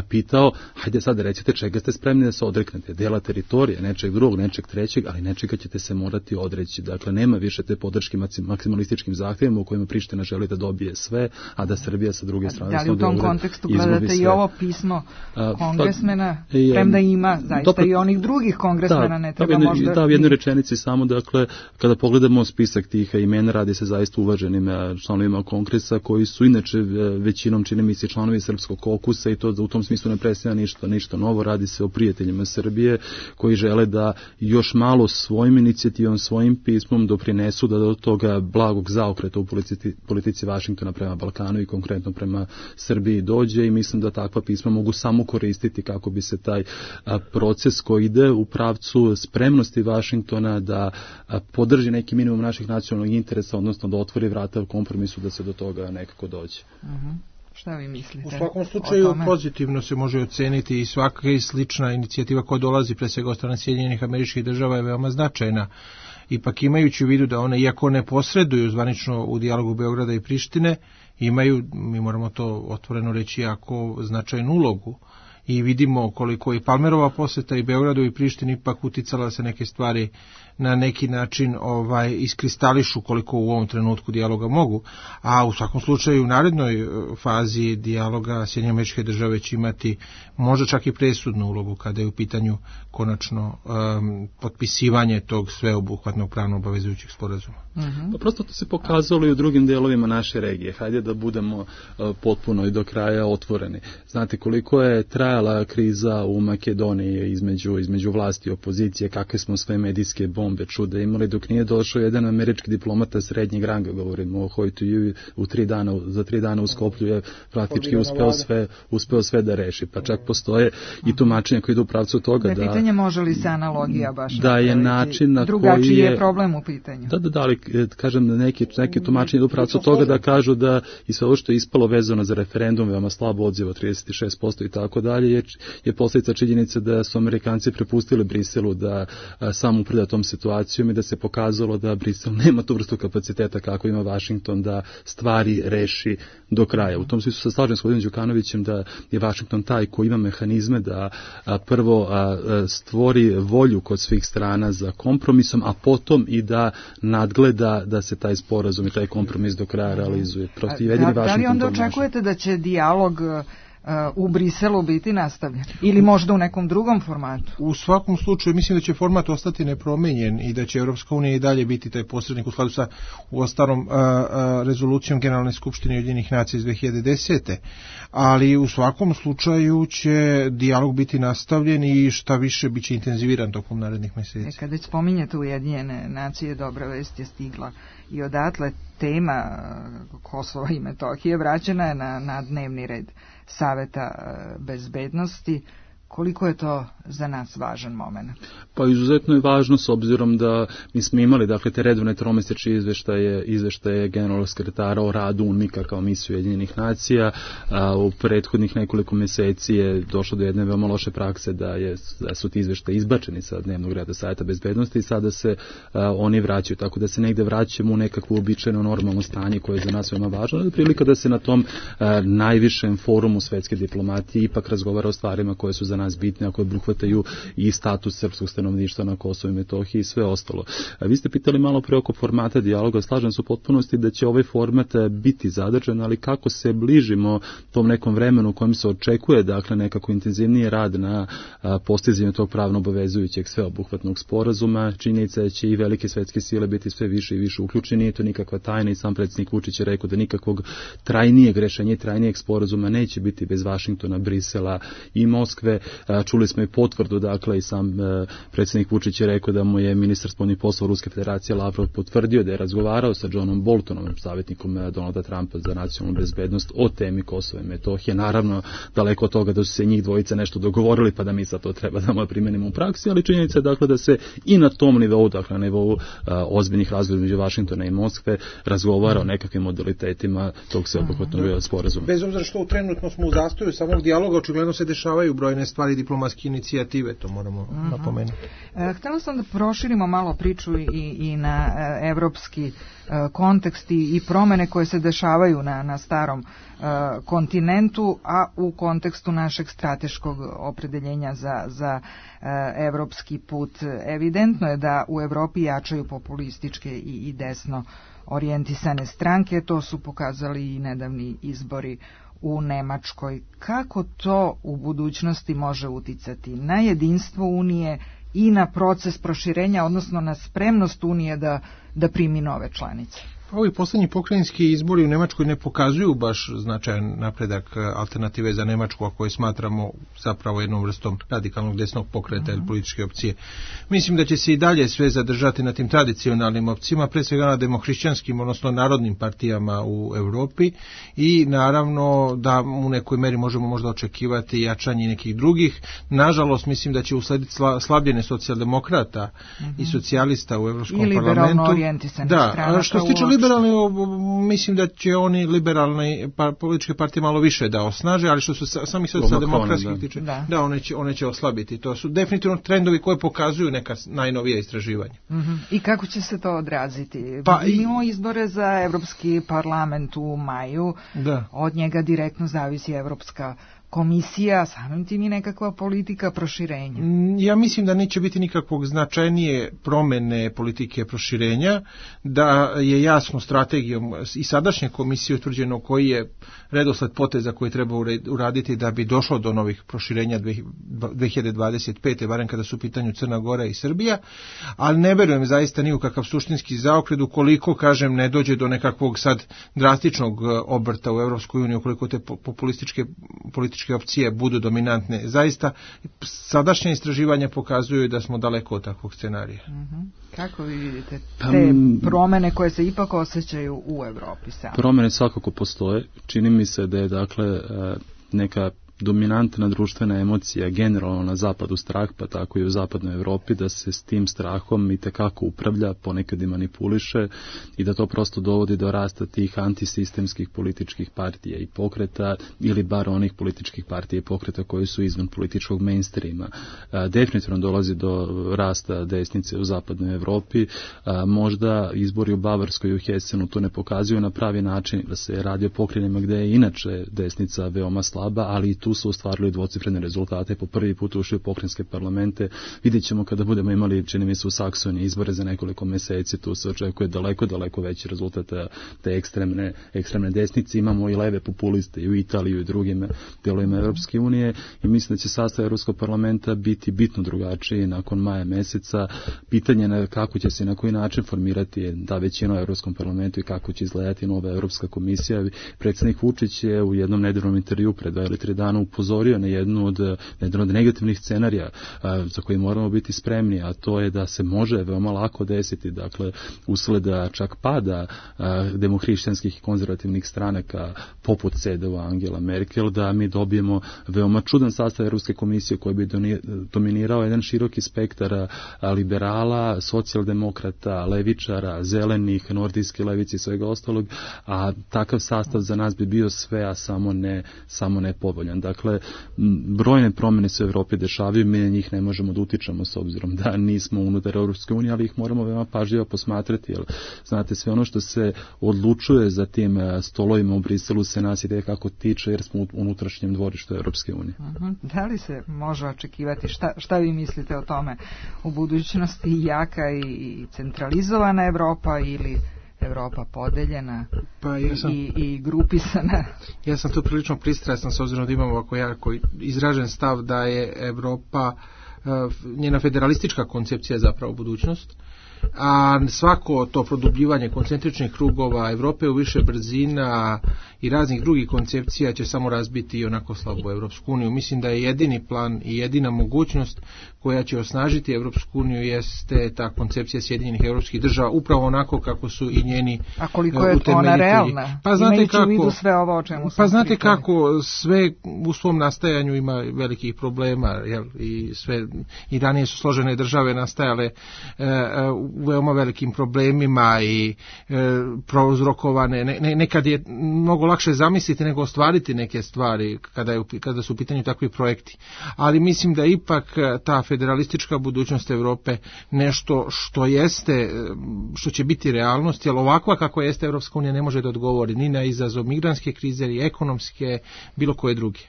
pitao, hajde sad recite čega ste spremni da se odreknete, dela teritorije, nečeg drugog, nečeg trećeg, ali nečega ćete se morati odreći. Dakle, nema više te podrške maksimalističkim zahtjevima u kojima Priština želi da dobije sve, a da Srbija sa druge strane... Da li u tom kontekstu gledate i ovo pismo kongresmena, premda ima zaista i onih drugih kongresmena, ne treba možda... Da, u jednoj rečenici samo, dakle, kada pogledamo spisak tih imena, radi se zaista uvaženim članovima kongresa, koji su inače većinom, čini mi se, članovi Srpskog kokusa i to u tom smislu ne predstavlja ništa novo, radi se o prijateljima Srbije koji žele da još malo svojim inicijativom, svojim pismom doprinesu da do toga blagog zaokreta u politici Vašingtona prema Balkanu i konkretno prema Srbiji dođe i mislim da takva pisma mogu samo koristiti kako bi se taj proces koji ide u pravcu spremnosti Vašingtona da podrži neki minimum naših nacionalnih interesa, odnosno da otvori vrata u kompromisu da se do toga nekako dođe. Šta vi mislite? U svakom slučaju pozitivno se može oceniti i svaka slična inicijativa koja dolazi pre svega od strane Sjedinjenih Američkih Država je veoma značajna. Ipak imajući u vidu da one, iako ne posreduju zvanično u dijalogu Beograda i Prištine, imaju, mi moramo to otvoreno reći, jako značajnu ulogu. I vidimo koliko i Palmerova poseta i Beogradu i Prištini ipak uticala da se neke stvari na neki način iskristališu koliko u ovom trenutku dijaloga mogu. A u svakom slučaju u narednoj fazi dijaloga Sjedinjene Američke Države će imati možda čak i presudnu ulogu kada je u pitanju konačno potpisivanje tog sveobuhvatnog pravno obavezujućeg sporazuma. Pa prosto to se pokazalo i u drugim delovima naše regije. Hajde da budemo potpuno i do kraja otvoreni. Znate koliko je trajalo trajala kriza u Makedoniji između vlasti i opozicije, kakve smo sve medijske bombe čude imali, dok nije došao jedan američki diplomata srednjeg ranga, govorimo o Hojtuju, za 3 dana u Skoplju je praktički uspeo sve da reši. Pa čak postoje i tumačenja koji idu u pravcu toga da... pitanje može li se analogija baš da je način na drugačiji je problem u pitanju. Da, ali kažem da neki tumačenja idu u pravcu toga da kažu da i sve ovo što je ispalo vezano za referendum, veoma slabo odziva, 36% i tako dalje, je posljedica činjenice da su Amerikanci prepustili Briselu da sam upravlja tom situacijom i da se pokazalo da Brisel nema tu vrstu kapaciteta kako ima Vašington da stvari reši do kraja. U tom smislu se slažem s gospodinom Đukanovićem da je Vašington taj koji ima mehanizme da prvo stvori volju kod svih strana za kompromisom, a potom i da nadgleda da se taj sporazum i taj kompromis do kraja realizuje. Da li onda očekujete da će dijalog u Briselu biti nastavljen? Ili možda u nekom drugom formatu? U svakom slučaju mislim da će format ostati nepromenjen i da će Europska unija i dalje biti taj posrednik u skladu sa uostalom rezolucijom Generalne skupštine Ujedinjenih nacija iz 2010. Ali u svakom slučaju će dijalog biti nastavljen i šta više biće intenziviran tokom narednih meseci. Kad već spominjete Ujedinjene nacije, dobra vest je stigla i odatle tema Kosova i Metohije vraćena je na dnevni red Saveta bezbednosti. Koliko je to za nas važan moment? Pa izuzetno je važno s obzirom da mi smo imali te redovne tromesečne izveštaje generalnog sekretara o radu UNMIK-a kao misiju Ujedinjenih nacija. U prethodnih nekoliko meseci je došlo do jedne veoma loše prakse da su ti izveštaji izbačeni sa dnevnog reda Saveta bezbednosti i sada se oni vraćaju, tako da se negde vraćamo u nekakvo uobičajeno normalno stanje koje je za nas veoma važno. Da je prilika da se na tom najvišem forumu svetske diplomatije ipak razgovara o stvarima koje su za nas bitne, a koje obuhvataju i status srpskog stanovništva na Kosovu i Metohiji i sve ostalo. Vi ste pitali malo pre oko formata dijaloga, slažem se u potpunosti da će ovaj format biti zadržan, ali kako se bližimo tom nekom vremenu u kojem se očekuje nekako intenzivniji rad na postizanju tog pravno obavezujućeg sveobuhvatnog sporazuma, činjenica da će i velike svetske sile biti sve više i više uključeni, nije to nikakva tajna i sam predsjednik Vučić je rekao da nikakvog trajnijeg rešenja i trajnijeg sporazuma neće biti bez Vašingtona, Brisela i Moskve. Čuli smo i potvrdu, i sam predsjednik Vučić je rekao da mu je ministar spoljnih poslova Ruske federacije Lavrov potvrdio da je razgovarao sa Johnom Boltonom, savjetnikom Donalda Trumpa za nacionalnu bezbednost, o temi Kosova i Metohije. Naravno, daleko od toga da su se njih dvojica nešto dogovorili, pa da mi sad to treba da primenimo u praksi, ali činjenica je da se i na tom nivou, na nivou ozbiljnih razgovora među Vašingtona i Moskve, razgovara o nekakvim modalitetima tog sveobuhvatnog sporazuma. Bez obzira što trenutno smo u zastoju samog dijaloga, očigledno se dešavaju brojne stvari diplomatske inicijative, to moramo napomenuti. Htjela sam da proširimo malo priču i na evropski kontekst i promene koje se dešavaju na starom kontinentu, a u kontekstu našeg strateškog opredeljenja za evropski put. Evidentno je da u Evropi jačaju populističke i desno orijentisane stranke, to su pokazali i nedavni izbori u Nemačkoj. Kako to u budućnosti može uticati na jedinstvo Unije i na proces proširenja, odnosno na spremnost Unije da primi nove članice? Ovi posljednji pokrajinski izbori u Nemačkoj ne pokazuju baš značajan napredak alternative za Nemačku, a koje smatramo zapravo jednom vrstom radikalnog desnog pokreta ili političke opcije. Mislim da će se i dalje sve zadržati na tim tradicionalnim opcijama, pre svega na demohrišćanskim, odnosno narodnim partijama u Europi, i naravno da u nekoj meri možemo možda očekivati jačanje nekih drugih. Nažalost, mislim da će uslediti slabljenje socijaldemokrata i socijalista u Evropskom parlamentu. I liberalno orijentisanih stranaka. Što se tiče liberalni, mislim da će oni liberalne političke partije malo više da osnaže, ali što su sami socijaldemokratskih tiče, one će oslabiti. To su definitivno trendovi koje pokazuju neka najnovija istraživanja. I kako će se to odraziti? Imamo izbore za Evropski parlament u maju, od njega direktno zavisi Evropska komisija, samim tim i nekakva politika proširenja. Ja mislim da neće biti nikakvog značajnije promene politike proširenja, da je jasno strategijom i sadašnje komisije utvrđeno koji je redosled poteza koji treba uraditi da bi došlo do novih proširenja 2025. barem kada su u pitanju Crna Gora i Srbija, ali ne verujem zaista ni u kakav suštinski zaokret ukoliko, kažem, ne dođe do nekakvog sad drastičnog obrta u Evropskoj uniji, ukoliko te političke političke opcije budu dominantne. Zaista, sadašnje istraživanja pokazuju da smo daleko od takvog scenarija. Kako vi vidite te promene koje se ipak osjećaju u Evropi sami? Promene svakako postoje. Čini mi se da je dakle neka dominantna društvena emocija generalno na zapadu strah, pa tako i u zapadnoj Evropi, da se s tim strahom i tekako upravlja, ponekad i manipuliše i da to prosto dovodi do rasta tih antisistemskih političkih partija i pokreta ili bar onih političkih partija i pokreta koji su izvan političkog mainstreama. Definitivno dolazi do rasta desnice u zapadnoj Evropi. Možda izbori u Bavarskoj i u Hesenu to ne pokazuju na pravi način, da se radi o pokrajinama gde je inače desnica veoma slaba, ali i tu su ostvarili dvocifrene rezultate, po prvi put ušli u pokrajinske parlamente. Vidjet ćemo kada budemo imali, čini mi se, u Saksoniji izbore za nekoliko meseci, tu se očekuje daleko veći rezultat te ekstremne desnice. Imamo i leve populiste i u Italiji i u drugim delovima Evropske unije i mislim da će sastav Evropskog parlamenta biti bitno drugačiji nakon maja meseca. Pitanje je kako će se i na koji način formirati ta većina u Evropskom parlamentu i kako će izgledati nova Evropska komisija. Predsjednik Vučić je u jednom nedeljnom intervju pred 2 ili 3 dana upozorio na jedan od negativnih scenarija za koji moramo biti spremni, a to je da se može veoma lako desiti, dakle, usled čak pada demohrišćanskih i konzervativnih stranaka poput CDU Angela Merkel, da mi dobijemo veoma čudan sastav Evropske komisije koji bi dominirao jedan široki spektar liberala, socijaldemokrata, levičara, zelenih, nordijske levice i svega ostalog, a takav sastav za nas bi bio sve, a samo ne povoljan. Dakle, brojne promjene se u Evropi dešavaju, mi na njih ne možemo da utičemo s obzirom da nismo unutar Europske unije, ali ih moramo veoma pažljivo posmatrati, jer znate, sve ono što se odlučuje za tim stolovima u Briselu se nas ide kako tiče, jer smo u unutrašnjem dvorištu Europske unije. Da li se može očekivati, šta vi mislite o tome, u budućnosti jaka i centralizovana Evropa ili Evropa podeljena i grupisana? Ja sam tu prilično pristrasan s obzirom da imamo ovako jako izražen stav da je Evropa, njena federalistička koncepcija zapravo budućnost, a svako to produbljivanje koncentričnih krugova Evrope u više brzina i raznih drugih koncepcija će samo razbiti i onako slabu Evropsku uniju. Mislim da je jedini plan i jedina mogućnost koja će osnažiti Evropsku uniju jeste ta koncepcija Sjedinjenih evropskih država, upravo onako kako su i njeni utemeljitelji. A koliko je ona realna? Pa znate kako, u vidu sve ovo o čemu pa znate kako, sve u svom nastajanju ima velikih problema, jel, i ranije su složene države nastajale u veoma velikim problemima i prouzrokovane. Nekad je mnogo lakše zamisliti nego ostvariti neke stvari kada su u pitanju takvi projekti. Ali mislim da ipak ta federalistička budućnost Evrope nešto što će biti realnost, jer ovakva kako jeste Evropska unija ne može da odgovori ni na izazov migrantske krize, ni ekonomske, bilo koje druge.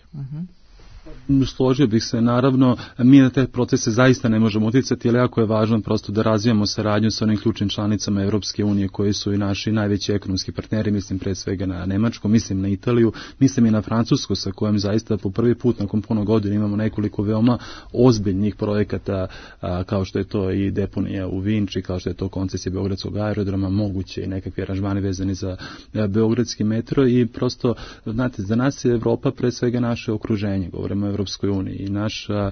Složio bih se, naravno, mi na te procese zaista ne možemo uticati, ali jako je važno prosto da razvijamo saradnju sa onim ključnim članicama Evropske unije koji su i naši najveći ekonomski partneri, mislim pre svega na Nemačku, mislim na Italiju, mislim i na Francusku, sa kojom zaista po prvi put nakon puno godina imamo nekoliko veoma ozbiljnih projekata, kao što je to i deponija u Vinči, kao što je to koncesija Beogradskog aerodroma, moguće i nekakvi aranžmani vezani za beogradski metro i prosto, znate, za nas je Evropa pre svega naše okruženje, govorimo o Evropskoj uniji i naša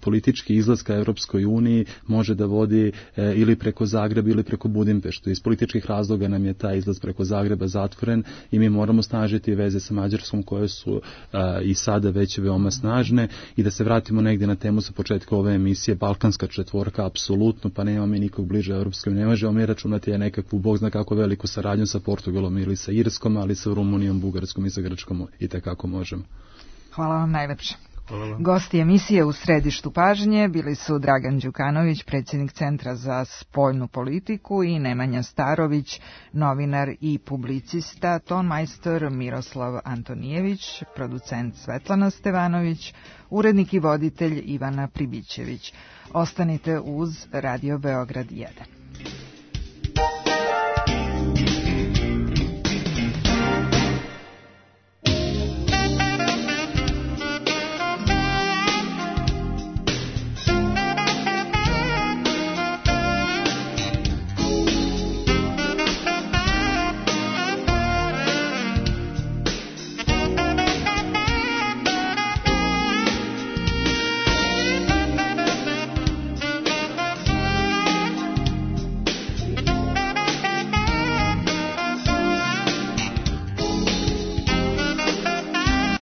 politički izlaz ka Evropskoj uniji može da vodi ili preko Zagreba ili preko Budimpeštu. Iz političkih razloga nam je taj izlaz preko Zagreba zatvoren i mi moramo snažiti veze sa Mađarskom koje su i sada već veoma snažne. I da se vratimo negdje na temu sa početka ove emisije, Balkanska četvorka, apsolutno, pa nema mi nikog bliže Evropskoj uniji. Ne možemo mi računati nekakvu, Bog zna kako veliku saradnju sa Portugalom ili sa Irskom, ali sa Rumunijom, Bugarskom i sa Grčkom i tekako možemo. Hvala vam najlepše. Gosti emisije u središtu pažnje bili su Dragan Đukanović, predsjednik Centra za spoljnu politiku, i Nemanja Starović, novinar i publicista, tonmajstor Miroslav Antonijević, producent Svetlana Stevanović, urednik i voditelj Ivana Pribićević. Ostanite uz Radio Beograd 1.